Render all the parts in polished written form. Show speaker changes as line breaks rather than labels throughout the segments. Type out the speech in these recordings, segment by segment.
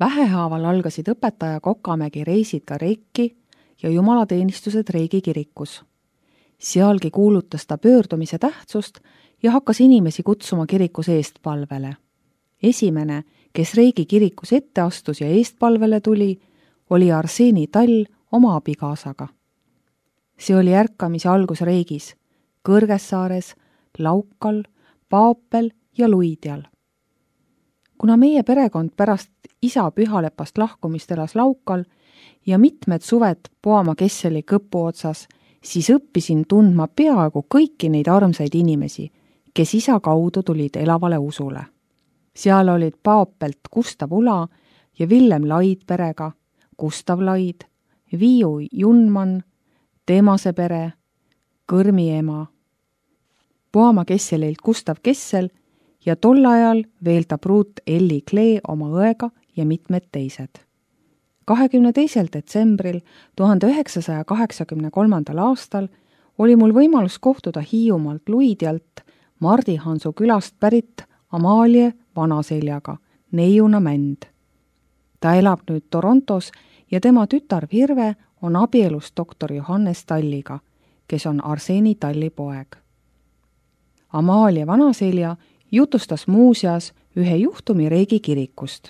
Vähehaaval algasid õpetaja Kokamägi reisid ka Reiki ja jumalateenistused Reigi kirikus. Sealgi kuulutas ta pöördumise tähtsust ja hakkas inimesi kutsuma kirikus eestpalvele. Esimene, kes Reigi kirikus ette astus ja eestpalvele tuli, oli Arseni Tall oma abikaasaga. See oli ärkamise algus Riigis, Kõrgessaares, Laukal, Paapel ja Luidjal. Kuna meie perekond pärast isa Pühalepast lahkumist elas Laukal ja mitmed suved Poama Kesseli kõpu otsas, siis õppisin tundma peaaegu kõiki neid armsaid inimesi, kes isa kaudu tulid elavale usule. Seal olid Paapelt Gustav Ula ja Villem Laid perega, Gustav Laid, Viiu Junman, Teemase pere, Kõrmi ema, Poama Kesselilt Gustav Kessel ja tol ajal veel ta pruut Elli Klee oma õega ja mitmed teised. 22. detsembril 1983. aastal oli mul võimalus kohtuda Hiiumaalt Luidjalt Mardi Hansu külast pärit Amalie Vanaseljaga, neiuna Mänd. Ta elab nüüd Torontos ja tema tütar Virve on abielus doktor Johannes Talliga, kes on Arseni Talli poeg. Amalie Vanaselja jutustas muuseas ühe juhtumi Reigi kirikust.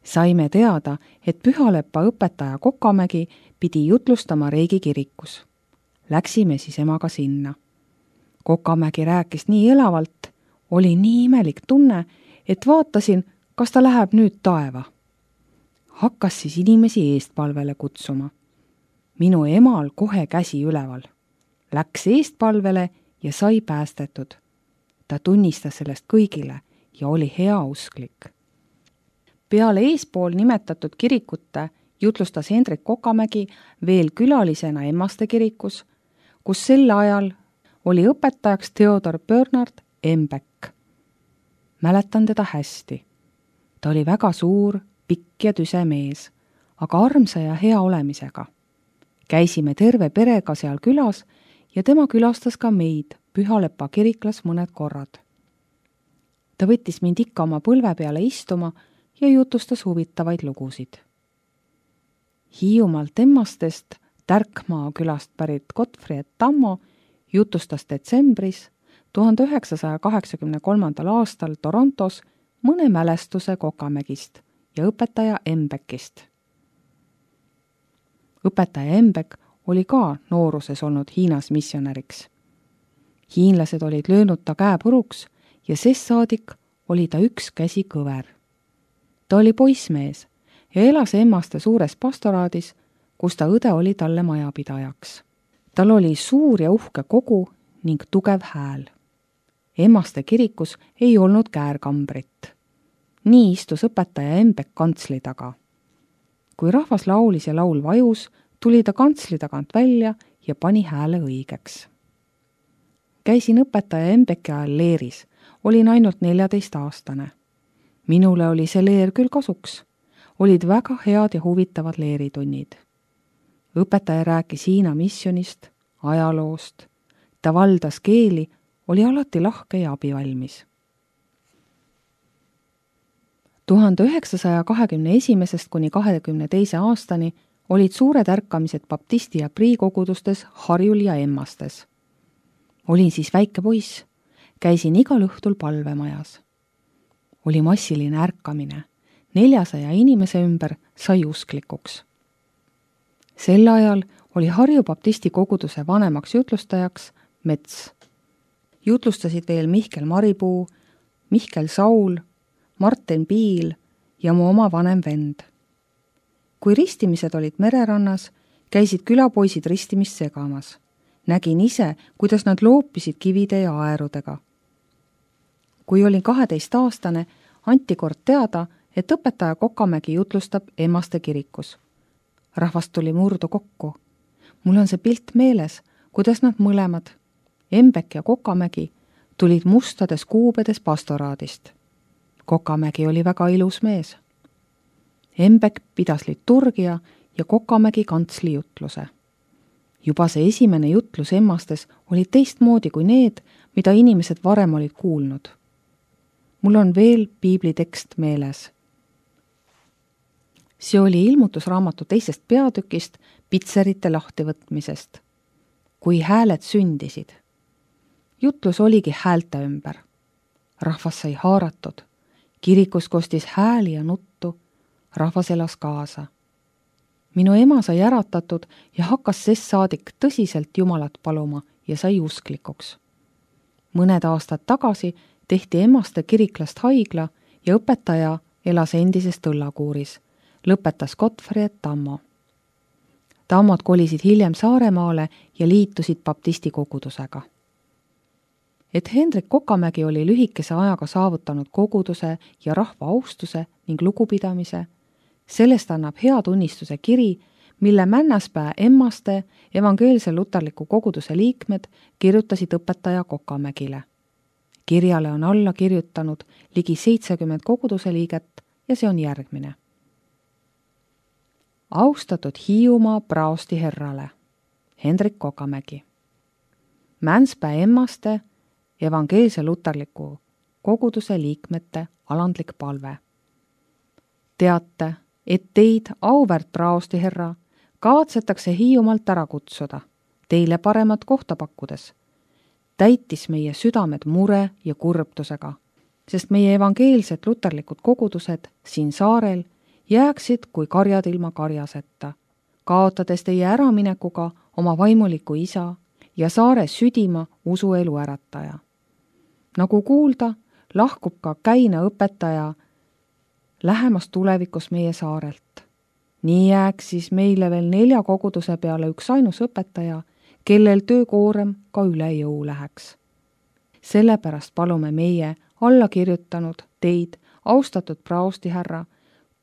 Saime teada, et Pühalepa õpetaja Kokamägi pidi jutlustama Reigi kirikus. Läksime siis emaga sinna. Kokamägi rääkis nii elavalt, oli nii imelik tunne, et vaatasin, kas ta läheb nüüd taeva. Hakkas siis inimesi eestpalvele kutsuma. Minu emal kohe käsi üleval. Läks eestpalvele ja sai päästetud. Ta tunnistas sellest kõigile ja oli heausklik. Peale eespool nimetatud kirikute jutlustas Hendrik Kokamägi veel külalisena Emmaste kirikus, kus sel ajal oli õpetajaks Theodor Bernhard Embeck. Mäletan teda hästi. Ta oli väga suur, pikk ja tüse mees, aga armsa ja hea olemisega. Käisime terve perega seal külas ja tema külastas ka meid Pühalepa kiriklas mõned korrad. Ta võttis mind ikka oma põlve peale istuma ja jutustas huvitavaid lugusid. Hiiumaalt Emmastest Tärkmaa külast pärit Gottfried Tammo jutustas detsembris 1983. aastal Torontos mõne mälestuse Kokamägist ja õpetaja Embeckist. Õpetaja Embeck oli ka nooruses olnud Hiinas missionäriks. Hiinlased olid löönud ta käe puruks ja sest saadik oli ta üks käsi kõver. Ta oli poissmees ja elas Emmaste suures pastoraadis, kus ta õde oli talle majapidajaks. Tal oli suur ja uhke kogu ning tugev hääl. Emmaste kirikus ei olnud käärkambrit. Nii istus õpetaja Embeck kantsli taga. Kui rahvas laulis ja laul vajus, tuli ta kantsli tagant välja ja pani hääle õigeks. Käisin õpetaja Embecki ajal leeris, olin ainult 14-aastane. Minule oli see leer küll kasuks. Olid väga head ja huvitavad leeritunnid. Õpetaja rääkis Hiina missionist, ajaloost. Ta valdas keeli, oli alati lahke ja abivalmis. 1921. kuni 22. aastani olid suured ärkamised baptisti ja priikogudustes Harjul ja Emmastes. Olin siis väike poiss, käisin igal õhtul palvemajas. Oli massiline ärkamine, 400 inimese ümber sai usklikuks. Sel ajal oli Harju baptisti koguduse vanemaks jutlustajaks Mets. Jutlustasid veel Mihkel Maripuu, Mihkel Saul, Martin Piil ja mu oma vanem vend. Kui ristimised olid mererannas, käisid külapoisid ristimist segamas. Nägin ise, kuidas nad loopisid kivide ja aerudega. Kui olin 12-aastane, anti kord teada, et õpetaja Kokamägi jutlustab Emmaste kirikus. Rahvast tuli murdu kokku. Mul on see pilt meeles, kuidas nad mõlemad, Embeck ja Kokamägi, tulid mustades kuubedes pastoraadist. Kokamägi oli väga ilus mees. Embeck pidas liturgia ja Kokamägi kantsli jutluse. Juba see esimene jutlus Emmastes oli teistmoodi kui need, mida inimesed varem olid kuulnud. Mul on veel piiblitekst meeles. See oli ilmutusraamatu teisest peatükist pitserite lahtivõtmisest. Kui hääled sündisid. Jutlus oligi häälte ümber. Rahvas sai haaratud. Kirikus kostis hääli ja nuttu. Rahvas elas kaasa. Minu ema sai äratatud ja hakkas sest saadik tõsiselt Jumalat paluma ja sai usklikuks. Mõned aastad tagasi tehti Emmaste kiriklast haigla ja õpetaja elas endises Tõllakuuris. Lõpetas Gottfried Tammo. Tammod kolisid hiljem Saaremaale ja liitusid baptisti kogudusega. Et Hendrik Kokamägi oli lühikese ajaga saavutanud koguduse ja rahva austuse ning lugupidamise, sellest annab hea tunnistuse kiri, mille Männäspää Emmaste evangeelse luterliku koguduse liikmed kirjutasid õpetaja Kokamägile. Kirjale on alla kirjutanud ligi 70 koguduse liiget ja see on järgmine. Austatud Hiiumaa praosti herrale, Hendrik Kokamägi. Männäspää Emmaste evangeelse luterliku koguduse liikmete alandlik palve. Teate, et teid, auväärt praosti herra, kavatsetakse Hiiumaalt ära kutsuda, teile paremat kohta pakkudes. Täitis meie südamed mure ja kurbtusega, sest meie evangeelsed luterlikud kogudused siin saarel jääksid kui karjad ilma karjaseta, kaotades teie äraminekuga oma vaimuliku isa ja saare südima usuelu ärataja. Nagu kuulda, lahkub ka Käina õpetaja lähemas tulevikus meie saarelt. Nii jääks siis meile veel 4 koguduse peale üks ainus õpetaja, kellel töökoorem ka üle jõu läheks. Sellepärast palume meie alla kirjutanud teid, austatud praosti härra,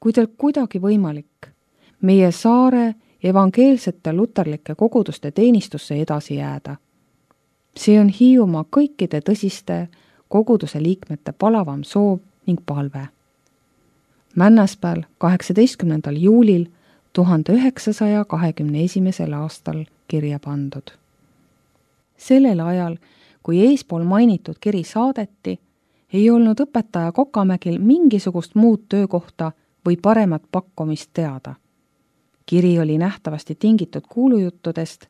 kui teil kuidagi võimalik, meie saare evangeelsete luterlike koguduste teenistusse edasi jääda. See on Hiiumaa kõikide tõsiste koguduse liikmete palavam soov ning palve. Männäspääl 18. juulil 1921. aastal kirja pandud. Sellel ajal, kui eespool mainitud kiri saadeti, ei olnud õpetaja Kokamägil mingisugust muud töökohta või paremat pakkumist teada. Kiri oli nähtavasti tingitud kuulujuttudest,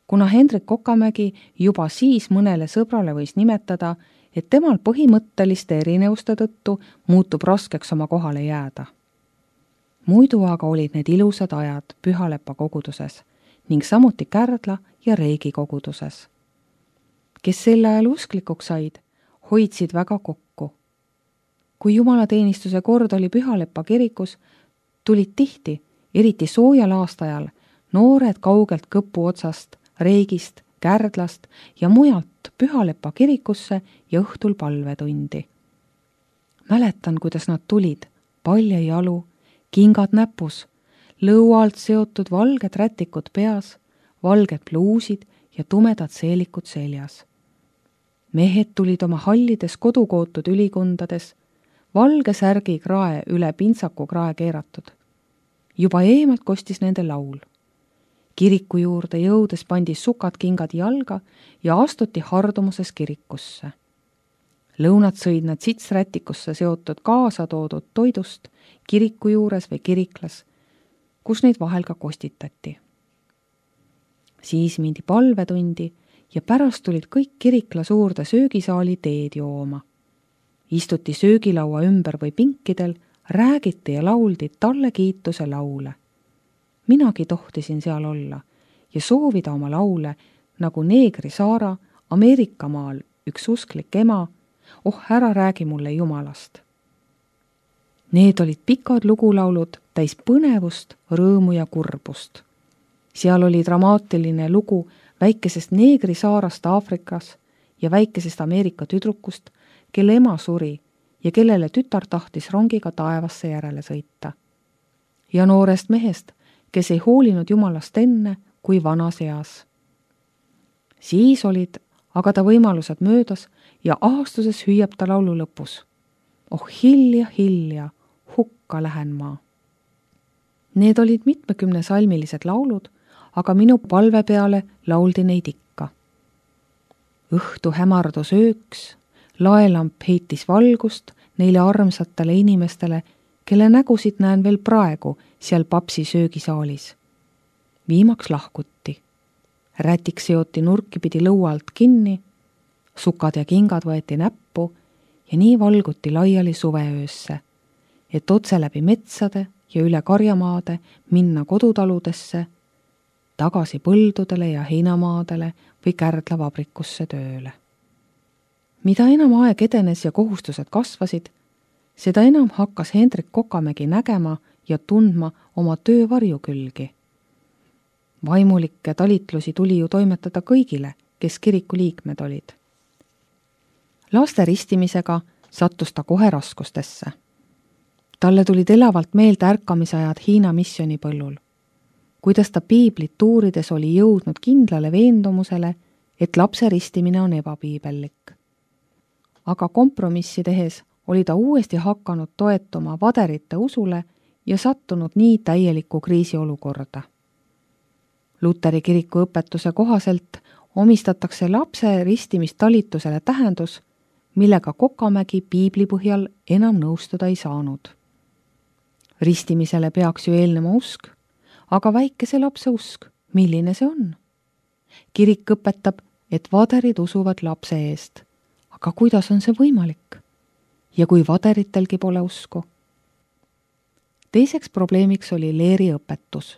kuna Hendrik Kokamägi juba siis mõnele sõbrale võis nimetada, et temal põhimõtteliste erinevuste tõttu muutub raskeks oma kohale jääda. Muidu aga olid need ilusad ajad Pühalepa koguduses ning samuti Kärdla ja Reigi koguduses. Kes sel ajal usklikuks said, hoidsid väga kokku. Kui jumalateenistuse kord oli Pühalepa kirikus, tulid tihti, eriti soojal aastajal, noored kaugelt Kõpu otsast, Reigist, Kärdlast ja mujalt Pühalepa kirikusse ja õhtul palvetundi. Mäletan, kuidas nad tulid, palja jalu, kingad näpus, lõualt seotud valged rätikud peas, valged pluusid ja tumedad seelikud seljas. Mehed tulid oma hallides kodukootud ülikondades, valge särgi krae üle pintsaku krae keeratud. Juba eemalt kostis nende laul. Kiriku juurde jõudes pandi sukad kingad jalga ja astuti hardumuses kirikusse. Lõunad sõid nad sitsrätikusse seotud kaasa toodud toidust kiriku juures või kiriklas, kus neid vahel ka kostitati. Siis mindi palvetundi ja pärast tulid kõik kirikla suurde söögisaali teed jooma. Istuti söögilaua ümber või pinkidel, räägiti ja lauldi talle kiituse laule. Minagi tohtisin seal olla ja soovida oma laule, nagu Neegri Saara Ameerikamaal üks usklik ema, ära räägi mulle Jumalast. Need olid pikad lugulaulud täis põnevust, rõõmu ja kurbust. Seal oli dramaatiline lugu väikesest Neegri saarast Aafrikas ja väikesest Ameerika tüdrukust, kelle ema suri ja kellele tütar tahtis rongiga taevasse järele sõita. Ja noorest mehest, kes ei hoolinud Jumalast enne kui vanas eas. Siis olid aga ta võimalused möödas ja aastuses hüüab ta laulu lõpus. Oh hilja, hukka lähen ma. Need olid mitmekümne salmilised laulud, aga minu palve peale lauldi neid ikka. Õhtu hämardus ööks, laelamp heitis valgust neile armsatele inimestele, kelle nägusid näen veel praegu seal papsi söögisaalis. Viimaks lahkuti. Rätik seoti nurki pidi lõua alt kinni, sukad ja kingad võeti näppu ja nii valguti laiali suveöösse, et otse läbi metsade ja üle karjamaade minna kodutaludesse, tagasi põldudele ja heinamaadele või kärdlavabrikusse tööle. Mida enam aeg edenes ja kohustused kasvasid, seda enam hakkas Hendrik Kokamägi nägema ja tundma oma töö varjukülgi. Vaimulikke talitlusi tuli ju toimetada kõigile, kes kiriku liikmed olid. Laste ristimisega sattus ta kohe raskustesse. Talle tulid elavalt meelde ärkamisajad Hiina missionipõllul, kuidas ta piiblit uurides oli jõudnud kindlale veendumusele, et lapse ristimine on ebapiibellik. Aga kompromissi tehes oli ta uuesti hakanud toetuma vaderite usule ja sattunud nii täielikku kriisiolukorda. Luteri kiriku õpetuse kohaselt omistatakse lapse ristimistalitusele tähendus, millega Kokamägi piibli põhjal enam nõustuda ei saanud. Ristimisele peaks ju eelnema usk, aga väikese lapse usk, milline see on? Kirik õpetab, et vaderid usuvad lapse eest, aga kuidas on see võimalik? Ja kui vaderitelgi pole usku? Teiseks probleemiks oli leeri õpetus.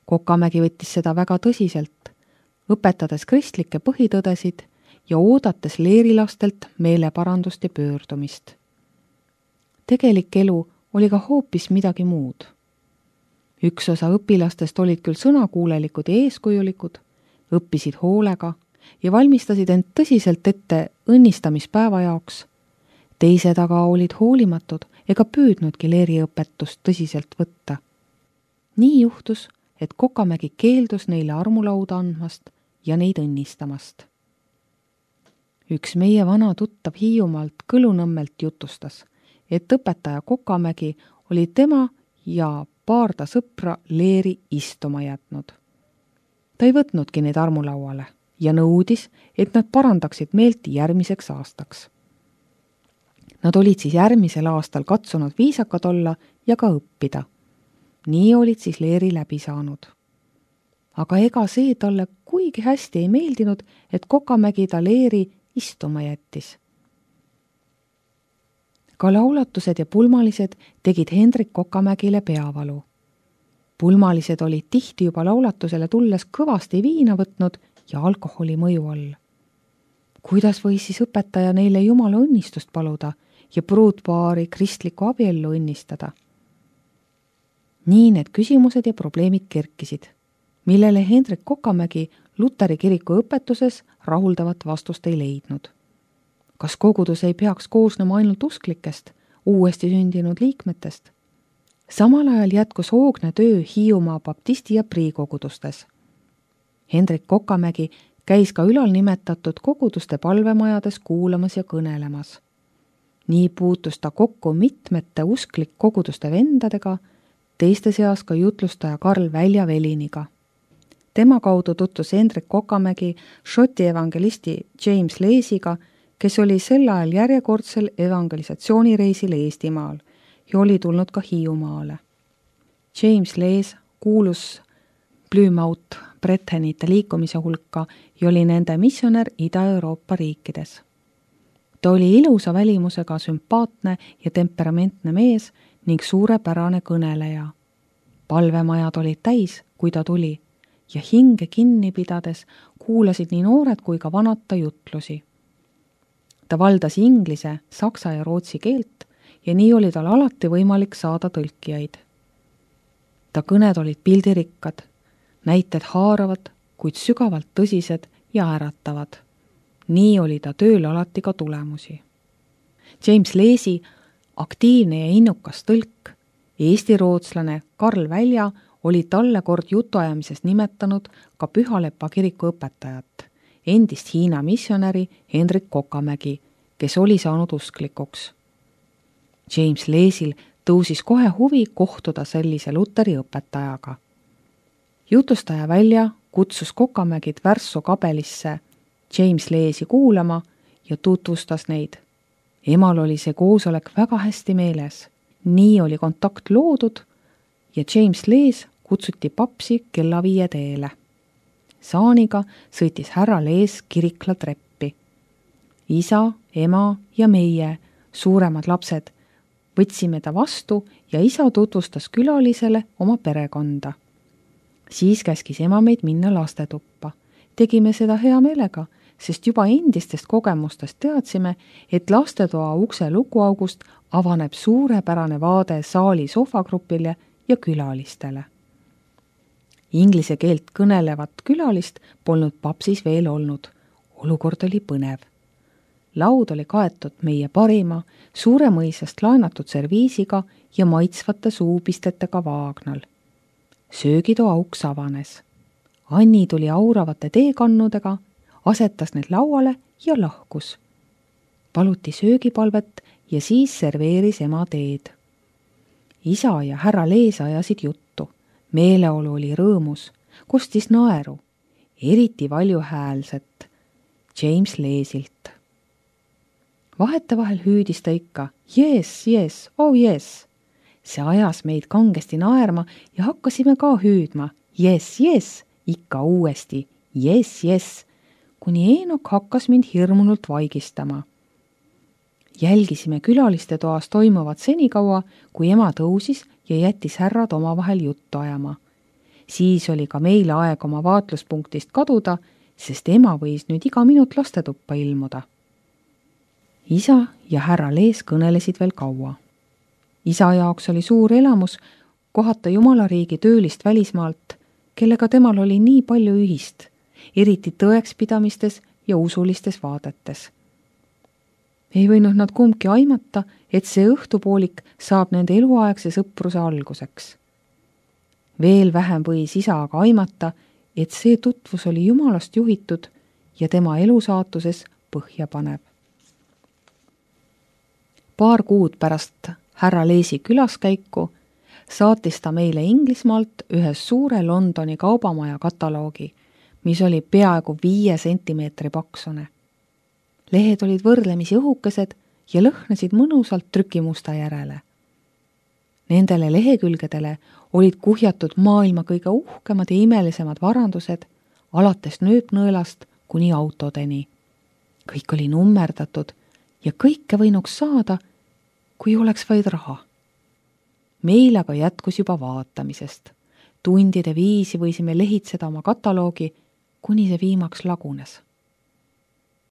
Kokamägi võttis seda väga tõsiselt, õpetades kristlikke põhitõdesid ja oodates leerilastelt meeleparandust ja pöördumist. Tegelik elu oli ka hoopis midagi muud. Üks osa õpilastest olid küll sõnakuulelikud ja eeskujulikud, õppisid hoolega ja valmistasid end tõsiselt ette õnnistamispäeva jaoks. Teised aga olid hoolimatud ega püüdnudki leeriõpetust tõsiselt võtta. Nii juhtus, et Kokamägi keeldus neile armulauda andmast ja neid õnnistamast. Üks meie vana tuttav Hiiumaalt Kõlunõmmelt jutustas, et õpetaja Kokamägi oli tema ja paar ta sõpra leeri istuma jätnud. Ta ei võtnudki neid armulauale ja nõudis, et nad parandaksid meelt järgmiseks aastaks. Nad olid siis järgmisel aastal katsunud viisakad olla ja ka õppida. Nii olid siis leeri läbi saanud. Aga ega see talle kuigi hästi ei meeldinud, et Kokamägi ta leeri istuma jättis. Ka laulatused ja pulmalised tegid Hendrik Kokamägile peavalu. Pulmalised olid tihti juba laulatusele tulles kõvasti viina võtnud ja alkoholi mõju all. Kuidas võis siis õpetaja neile Jumala õnnistust paluda ja pruutpaari kristlikku abiellu õnnistada? Nii need küsimused ja probleemid kerkisid, millele Hendrik Kokamägi Luteri kiriku õpetuses rahuldavat vastust ei leidnud. Kas kogudus ei peaks koosnema ainult usklikest, uuesti sündinud liikmetest? Samal ajal jätkus hoogne töö Hiiumaa baptisti ja priikogudustes. Hendrik Kokamägi käis ka ülal nimetatud koguduste palvemajades kuulamas ja kõnelemas. Nii puutus ta kokku mitmete usklik koguduste vendadega, teiste seas ka jutlustaja Karl Välja-Veliniga. Tema kaudu tutvus Hendrik Kokamägi Šoti evangelisti James Leesiga, kes oli sel ajal järjekordsel evangelisatsioonireisil Eestimaal ja oli tulnud ka Hiiumaale. James Lees kuulus Plymouth Brettonite liikumise hulka ja oli nende missionär Ida-Euroopa riikides. Ta oli ilusa välimusega sümpaatne ja temperamentne mees ning suurepärane kõneleja. Palvemajad olid täis, kui ta tuli, ja hinge kinni pidades kuulasid nii noored kui ka vanad ta jutlusi. Ta valdas inglise, saksa ja rootsi keelt ja nii oli tal alati võimalik saada tõlkijaid. Ta kõned olid pildirikkad, näited haaravad, kuid sügavalt tõsised ja äratavad. Nii oli ta tööl alati ka tulemusi. James Leesi, aktiivne ja innukas tõlk, eesti-rootslane Karl Välja oli talle kord jutuajamises nimetanud ka Pühalepa kiriku õpetajat, endist Hiina missionäri Hendrik Kokamägi, kes oli saanud usklikuks. James Leesil tõusis kohe huvi kohtuda sellise Luteri õpetajaga. Jutustaja Välja kutsus Kokamägid Värssu kabelisse James Leesi kuulama ja tutvustas neid. Emal oli see koosolek väga hästi meeles nii oli kontakt loodud ja James Lees kutsuti papsi kella 5 teele. Saaniga sõitis härra Lees Kirikla treppi. Isa, ema ja meie, suuremad lapsed, võtsime ta vastu ja isa tutvustas külalisele oma perekonda. Siis käskis ema meid minna lastetuppa. Tegime seda hea meelega, sest juba endistest kogemustest teadsime, et lastetoa ukse lukuaugust avaneb suurepärane vaade saali sohvagrupile ja külalistele. Inglise keelt kõnelevat külalist polnud papsis veel olnud. Olukord oli põnev. Laud oli kaetud meie parima, Suuremõisast laenatud serviisiga ja maitsvate suupistetega vaagnal. Söögitoa uks avanes. Anni tuli auravate teekannudega, asetas need lauale ja lahkus. Paluti söögipalvet ja siis serveeris ema teed. Isa ja härra Lees ajasid juttu. Meeleolu oli rõõmus, kostis naeru, eriti valjuhäälset James Leesilt. Vahetevahel hüüdis ta ikka, yes, yes, oh yes. See ajas meid kangesti naerma ja hakkasime ka hüüdma, yes, yes, ikka uuesti, yes, yes, kuni Eenok hakkas mind hirmunult vaigistama. Jälgisime külaliste toas toimuvat senikaua, kui ema tõusis ja jättis härrad omavahel juttu ajama. Siis oli ka meile aeg oma vaatluspunktist kaduda, sest ema võis nüüd iga minut lastetuppa ilmuda. Isa ja härra Lees kõnelesid veel kaua. Isa jaoks oli suur elamus kohata Jumalariigi töölist välismaalt, kellega temal oli nii palju ühist, eriti tõekspidamistes ja usulistes vaadetes. Ei võinud nad kumbki aimata, et see õhtupoolik saab nende eluaegse sõpruse alguseks. Veel vähem võis isa aga aimata, et see tutvus oli Jumalast juhitud ja tema elusaatuses põhja paneb. Paar kuud pärast härra Leesi külaskäiku saatis ta meile Inglismaalt ühe suure Londoni kaubamaja kataloogi, mis oli peaaegu 5 sentimeetri paksune. Lehed olid võrdlemisi õhukesed ja lõhnasid mõnusalt trükimusta järele. Nendele lehekülgedele olid kuhjatud maailma kõige uhkemad ja imelisemad varandused, alates nööpnõelast kuni autodeni. Kõik oli nummerdatud ja kõike võinuks saada, kui oleks vaid raha. Meil aga jätkus juba vaatamisest. Tundide viisi võisime lehitseda oma kataloogi, kuni see viimaks lagunes.